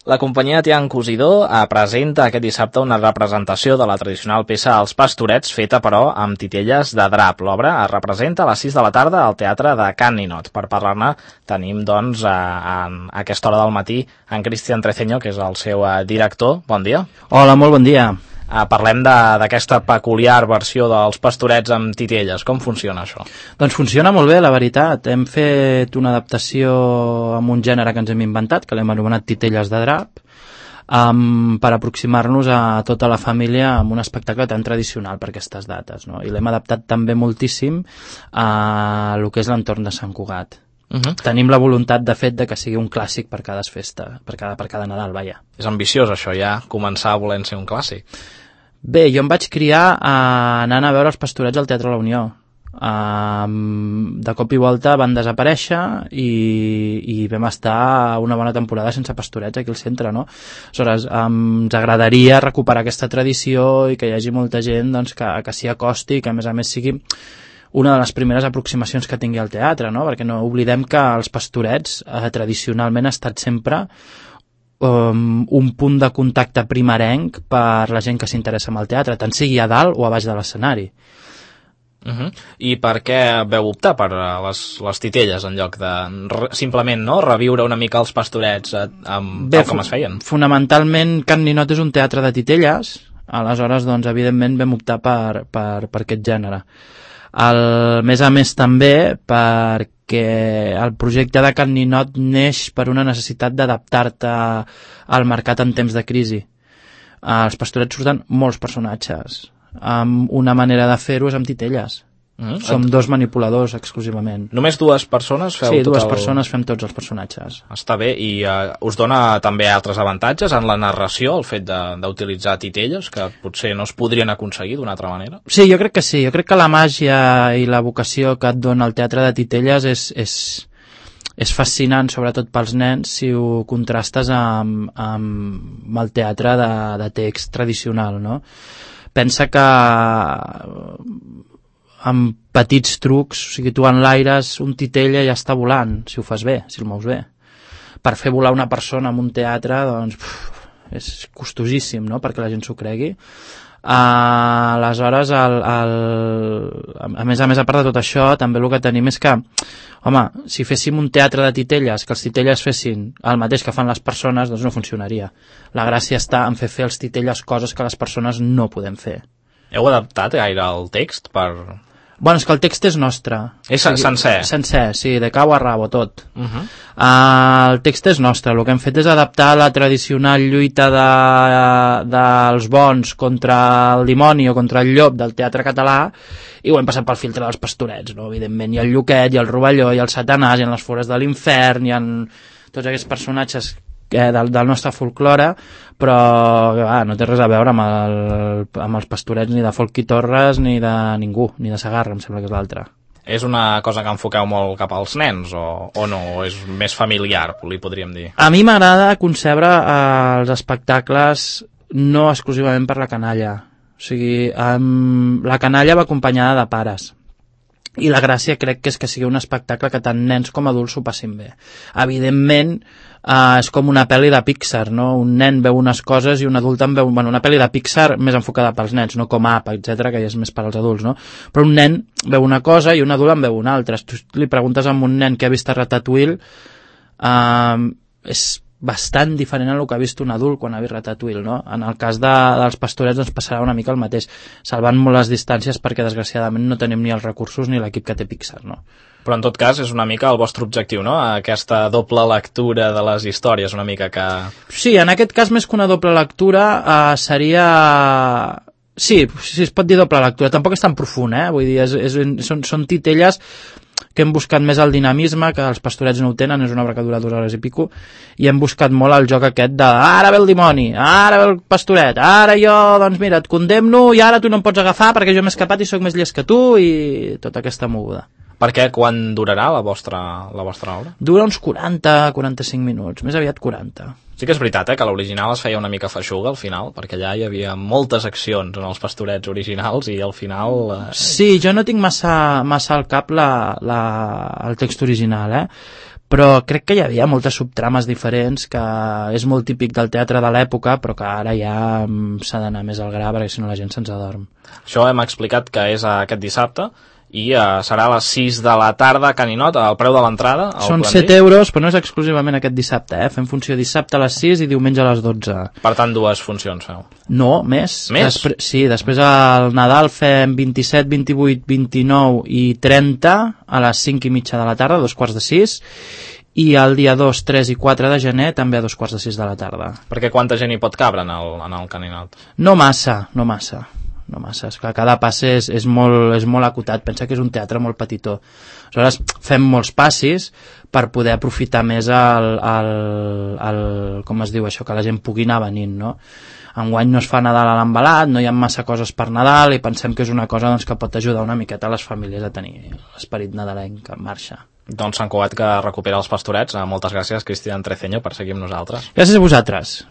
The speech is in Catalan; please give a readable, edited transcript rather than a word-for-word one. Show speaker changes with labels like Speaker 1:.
Speaker 1: La companyia Tian Cosidor presenta aquest dissabte una representació de la tradicional peça Els Pastorets, feta però amb titelles de drap. L'obra es representa a les 6 de la tarda al Teatre de Can Ninot. Per parlar-ne tenim, doncs, a aquesta hora del matí en Cristian Treceño, que és el seu director. Bon dia.
Speaker 2: Hola, molt bon dia.
Speaker 1: Parlem d'aquesta peculiar versió dels Pastorets amb titelles. Com funciona això?
Speaker 2: Doncs funciona molt bé, la veritat. Hem fet una adaptació amb un gènere que ens hem inventat, que l'hem anomenat titelles de drap, per aproximar-nos a tota la família amb un espectacle tan tradicional per aquestes dates, no? I l'hem adaptat també moltíssim a lo que és l'entorn de Sant Cugat. Tenim la voluntat, de fet, de que sigui un clàssic per cada festa, per cada Nadal, vaja.
Speaker 1: És ambiciós, això, ja, començar volent ser un clàssic.
Speaker 2: Bé, jo em vaig criar anant a veure els Pastorets al Teatre La Unió. De cop i volta van desaparèixer i vam estar una bona temporada sense Pastorets aquí al centre, no? Aleshores, ens agradaria recuperar aquesta tradició i que hi hagi molta gent, doncs, que s'hi acosti i que, a més sigui una de les primeres aproximacions que tingui al teatre, no? Perquè no oblidem que els Pastorets tradicionalment ha estat sempre un punt de contacte primerenc per la gent que s'interessa en el teatre, tant sigui a dalt o a baix de l'escenari.
Speaker 1: I per què veu optar per les titelles en lloc de simplement, no, reviure una mica els Pastorets tal com es feien?
Speaker 2: Fonamentalment Can Ninot és un teatre de titelles, aleshores doncs evidentment vam optar per aquest gènere. A més també perquè el projecte de Can Ninot neix per una necessitat d'adaptar-te al mercat en temps de crisi. Als Pastorets surten molts personatges. Una manera de fer-ho és amb titelles. Som dos manipuladors exclusivament.
Speaker 1: Només dues persones feu
Speaker 2: Sí, dues persones fem tots els personatges.
Speaker 1: Està bé, i us dona també altres avantatges en la narració, el fet d'utilitzar titelles, que potser no es podrien aconseguir d'una altra manera?
Speaker 2: Sí, jo crec que sí. Jo crec que la màgia i la vocació que et dona el teatre de titelles és fascinant, sobretot pels nens, si ho contrastes amb el teatre de text tradicional, no? Pensa que amb petits trucs, o sigui, tu enlaires un titella i ja està volant, si ho fas bé, si el mous bé. Per fer volar una persona en un teatre, doncs, és costosíssim, no?, perquè la gent s'ho cregui. Aleshores, a més, a part de tot això, també el que tenim és que, home, si féssim un teatre de titelles, que els titelles fessin el mateix que fan les persones, doncs no funcionaria. La gràcia està en fer els titelles coses que les persones no podem fer.
Speaker 1: Heu adaptat gaire el text per...
Speaker 2: Bueno, és que el text és nostre.
Speaker 1: És sencer?
Speaker 2: Sencer, sí, de cau a rabo, tot. El text és nostre. El que hem fet és adaptar la tradicional lluita dels bons contra el dimoni o contra el llop del teatre català i ho hem passat pel filtre dels Pastorets, no? Evidentment, hi ha el Lluquet, hi ha el Rovelló, hi ha el Satanàs, hi ha les Fores de l'Infern, hi ha tots aquests personatges del nostre folklore, però no té res a veure amb els Pastorets ni de Folchi Torres ni de ningú, ni de Segarra, em sembla que és l'altre.
Speaker 1: És una cosa que enfoqueu molt cap als nens o no? O és més familiar, li podríem dir?
Speaker 2: A mi m'agrada concebre els espectacles no exclusivament per la canalla. O sigui, la canalla va acompanyada de pares. I la gràcia crec que és que sigui un espectacle que tant nens com adults s'ho passin bé. Evidentment, és com una pel·li de Pixar, no? Un nen veu unes coses i un adult en veu... Bueno, una pel·li de Pixar més enfocada pels nens, no com Up, etc, que ja és més per als adults, no? Però un nen veu una cosa i un adult en veu una altra. Si tu li preguntes a un nen que ha vist a Ratatouille, és bastant diferent a el que ha vist un adult quan ha vist Ratatouille, no? En el cas dels Pastorets ens passarà una mica el mateix, salvant molt les distàncies perquè desgraciadament no tenim ni els recursos ni l'equip que té Pixar, no?
Speaker 1: Però en tot cas és una mica el vostre objectiu, no? Aquesta doble lectura de les històries, una mica que...
Speaker 2: Sí, en aquest cas més que una doble lectura seria... Sí, es pot dir doble lectura, tampoc és tan profund, vull dir, són titelles que hem buscat més el dinamisme, que els Pastorets no ho tenen, és una obra que dura 2 hores i pico, i hem buscat molt el joc aquest de ara ve el dimoni, ara ve el Pastoret, ara jo, doncs mira, et condemno i ara tu no em pots agafar perquè jo m'he escapat i sóc més llest que tu, i tota aquesta moguda.
Speaker 1: Perquè quan durarà la vostra obra?
Speaker 2: Dura uns 40-45 minuts, més aviat 40.
Speaker 1: Sí que és veritat, que l'original es feia una mica feixuga al final, perquè allà hi havia moltes accions en els Pastorets originals i al final...
Speaker 2: Sí, jo no tinc massa al cap el text original, però crec que hi havia moltes subtrames diferents, que és molt típic del teatre de l'època, però que ara ja s'ha d'anar més al gra, perquè si no la gent se'ns adorm.
Speaker 1: Això hem explicat que és aquest dissabte, i serà a les 6 de la tarda a Can Ninot, el preu de l'entrada.
Speaker 2: Són 7 euros, però no és exclusivament aquest dissabte, Fem funció dissabte a les 6 i diumenge a les 12.
Speaker 1: Per tant, 2 funcions feu.
Speaker 2: No, més.
Speaker 1: Més?
Speaker 2: Sí, després al Nadal fem 27, 28, 29 i 30 a les 5 i mitja de la tarda, 2:45, i el dia 2, 3 i 4 de gener també a 2:45 de la tarda.
Speaker 1: Perquè quanta gent hi pot cabre en el Can Ninot?
Speaker 2: No massa. És que cada passe és molt acotat. Pensa que és un teatre molt petitó. Aleshores fem molts passis per poder aprofitar més com es diu això, que la gent pugui anar venint, no? Enguany no es fa Nadal a l'embalat, no hi ha massa coses per Nadal i pensem que és una cosa doncs, que pot ajudar una miqueta a les famílies a tenir l'esperit nadalenc en marxa.
Speaker 1: Doncs Sant Cugat que recupera els Pastorets. Moltes gràcies, Cristian Treceño, per seguir amb nosaltres.
Speaker 2: Gràcies a vosaltres.